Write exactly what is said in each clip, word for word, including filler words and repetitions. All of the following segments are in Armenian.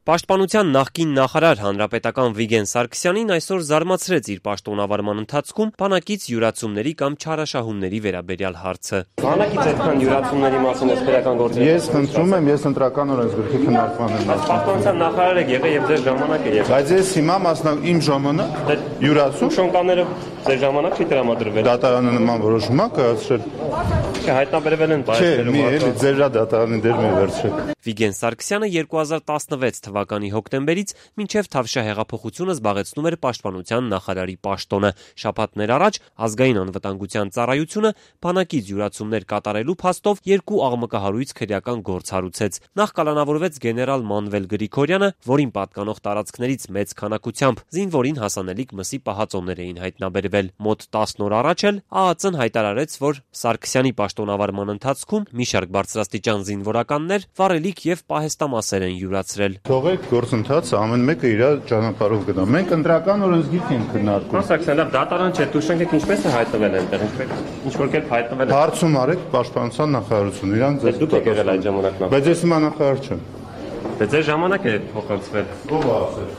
Պաշտպանության նախկին նախարար հանրապետական Վիգեն Սարգսյանին այսօր զարմացրեց իր պաշտոնավարման ընթացքում բանակից յուրացումների կամ չարաշահումների վերաբերյալ հարցը։ Բանակից այդքան յուրացումների մասին էսպերական գործեր։ Ես խնդրում եմ, ես ընտրական օրենսգրքի քննարկման եմ։ Պաշտպանության նախարար եք եղել եւ ձեր ժամանակ է եղել։ Բայց ես հիմա մասնավոր իմ ժամանակ յուրացում շոնկաները ձեր ժամանակ չի տրամադրվել։ Դատարանը նման որոշում է կայացրել։ Հայտնաբերվել են բայերում։ Չէ, մի էլի ձեր դատարանի դեր մի վերցրեք։ Վիգեն Սարգսյանը երկու հազար տասնվեց թվականի հոկտեմբերից մինչև Թավշյա հեղափոխությունը զբաղեցնում էր պաշտպանության նախարարի պաշտոնը։ Շաբաթներ առաջ ազգային անվտանգության ծառայությունը բանակից յուրացումներ կատարելու փաստով երկու աղմկահարույց քրեական գործ հարուցեց։ Նախ կալանավորվեց գեներալ Մանվել Գրիգորյանը, որին պատկանող տարածքներից մեծ քանակությամբ զինվորին հասանելիք մսի պահածոներ էին հայտնաբերվել։ Մոտ տասն օր առաջ էլ ԱԱԾ-ն հայտարարեց, որ Սարգսյանի պաշտոնավարման ընթացքում մի շարք բարձրաստիճան զինվորականներ վառելիք եւ պահեստամասեր են յուրացրել։ Թողեք գործընթացը ամեն մեկը իր ճանապարհով գնա։ Մենք ընտրական օրենսգիրք ենք քննարկում։ Սարգսյանը դատարան չէ, դուշենք ինչպես է հայտնվել այնտեղ, ինչ որ կերպ հայտնվել է։ Հարցում արեք պաշտպանության նախարարություն, իրան ձեզ դուք եք եղել այդ ժամանակ։ Բայց ես հիմա նախարար չեմ։ Բայց ձեր ժամանակ է փոխանցվել։ Ո՞վ է ասել։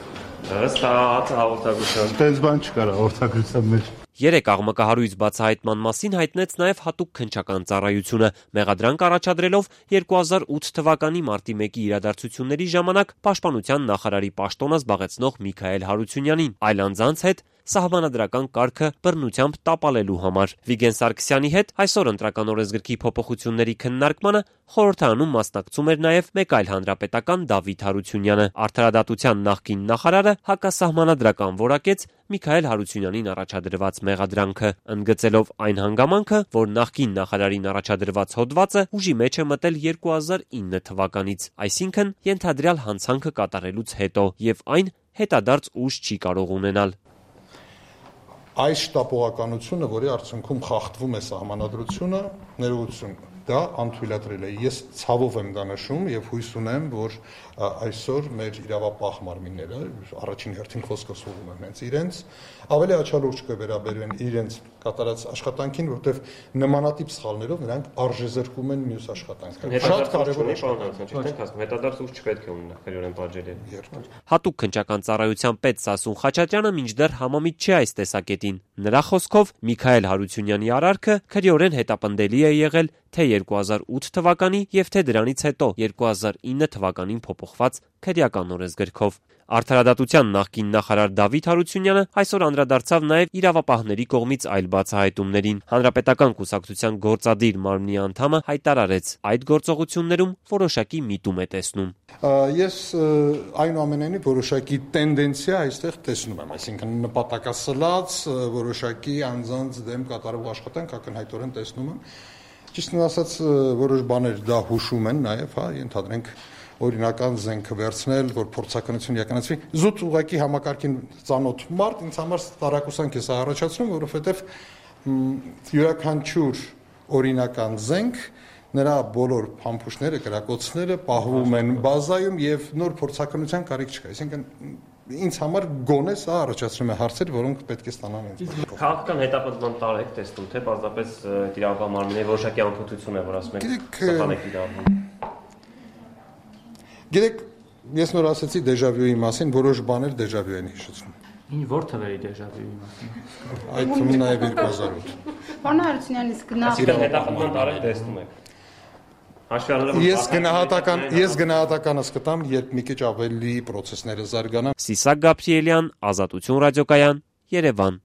Ըստ հաղորդագրության։ Տենց բան չկար հաղորդագրության մեջ։ Երեք աղմկահարույց բացահայտման մասին հայտնեց նաև հատուկ քննչական ծառայությունը, մեղադրանք առաջադրելով երկու հազար ութ թվականի մարտի մեկի իրադարձությունների ժամանակ պաշտպանության նախարարի պաշտոնը զբաղեցնող Միքայել Հարությունյանին, այլ անձանց հետ սահմանադրական կարգը բռնությամբ տապալելու համար։ Վիգեն Սարգսյանի հետ այսօր ընտրական օրենսգրքի փոփոխությունների քննարկմանը խորհրդարանում մասնակցում էր նաև մեկ այլ հանրապետական Դավիթ Հարությունյանը։ Արդարադատության նախկին նախարարը հակասահմանադրական որակեց Միքայել Հարությունյանին առաջադրված մեղադրանքը, ընդգծելով այն հանգամանքը, որ նախկին նախարարին առաջադրված հոդվածը ուժի մեջ է մտել երկու հազար ինը թվականից, այսինքն ենթադրյալ հանցանքը կատարելուց հետո, եւ այն հետադարձ ուժ չի կարող ունենալ։ Այս շտապողականությունը, որի արդյունքում խախտվում է սահմանադրությունը, ներողություն, դա անթույլատրել է։ Ես ցավով եմ դա նշում եւ հույս ունեմ, որ այսօր մեր իրավապահ մարմինները առաջին հերթին խոսքը սուղում են հենց իրենց, ավելի աչալուրջ կվերաբերեն իրենց կատարած աշխատանքին, որտեղ նմանատիպ սխալներով նրանք արժեզրկում են մյուս աշխատանքը։ Շատ կարևոր է, հետադարձ ուժ չպետք է ունենա քրեորեն պատժել։ Հատուկ քննչական ծառայության պետ Սասուն Խաչատրյանը մինչդեռ համամիտ չէ այս տեսակետին։ Նրա խոսքով Միքայել Հարությունյանի արարքը քրեորեն հետապնդելի է եղել թե երկու հազար ութ թվականի եւ թե դրանից հետո երկու հազար ինը թվականին փոփոխված քրեական օրենսգրքով։ Արդարադատության նախկին նախարար Դավիթ Հարությունյանը այսօր անդրադարձավ նաև իրավապահների կողմից այլ բացահայտումներին։ Հանրապետական կուսակցության գործադիր մարմնի անդամը հայտարարեց, այդ գործողություններում որոշակի միտում է տեսնում։ Ես այնուամենայնիվ որոշակի տենդենցիա այստեղ տեսնում եմ, այսինքն նպատակասլաց որոշակի անձանց դեմ կատարող աշխատանք ակնհայտորեն տեսնում եմ։ Ճիշտն ասած, որոշ բաներ դա հուշում են նաև, հա, ընդհանրենք օրինական զենքը վերցնել, որ փորձականություն իրականացվի։ Զուտ ուղակի համակարգին ծանոթ մարդ ինձ համար տարակուսանք է սա առաջացնում, որովհետև յուրաքանչյուր օրինական զենք, նրա բոլոր փամփուշտները, կրակոցները պահվում են բազայում եւ նոր փորձականության կարիք չկա։ Այսինքն ինձ համար գոնե սա առաջացնում է հարցեր, որոնք պետք է ստանան ինձ։ Քաղաքական հետապնդման տար եք տեսնում, թե պարզապես իրավապահ մարմինների որոշակի անփոփություն է, որ ասում եք սխալ եք իրավապահ։ Գիտեք, ես նոր ասացի դեժավյուի մասին, որոշ բաներ դեժավյու են հիշեցնում։ Ինչ որ թվերի դեժավյուի մասին։ Այդ թվում նաև երկու հազար ութ։ Պարոն Հարությունյանից գնահատական հետապնդման տար եք տեսնում եք։ Ես գնահատական ես գնահատականս կտամ, երբ մի քիչ ավելի process-ները զարգանան։ Սիսակ Գաբրիելյան, Ազատություն ռադիոկայան, Երևան։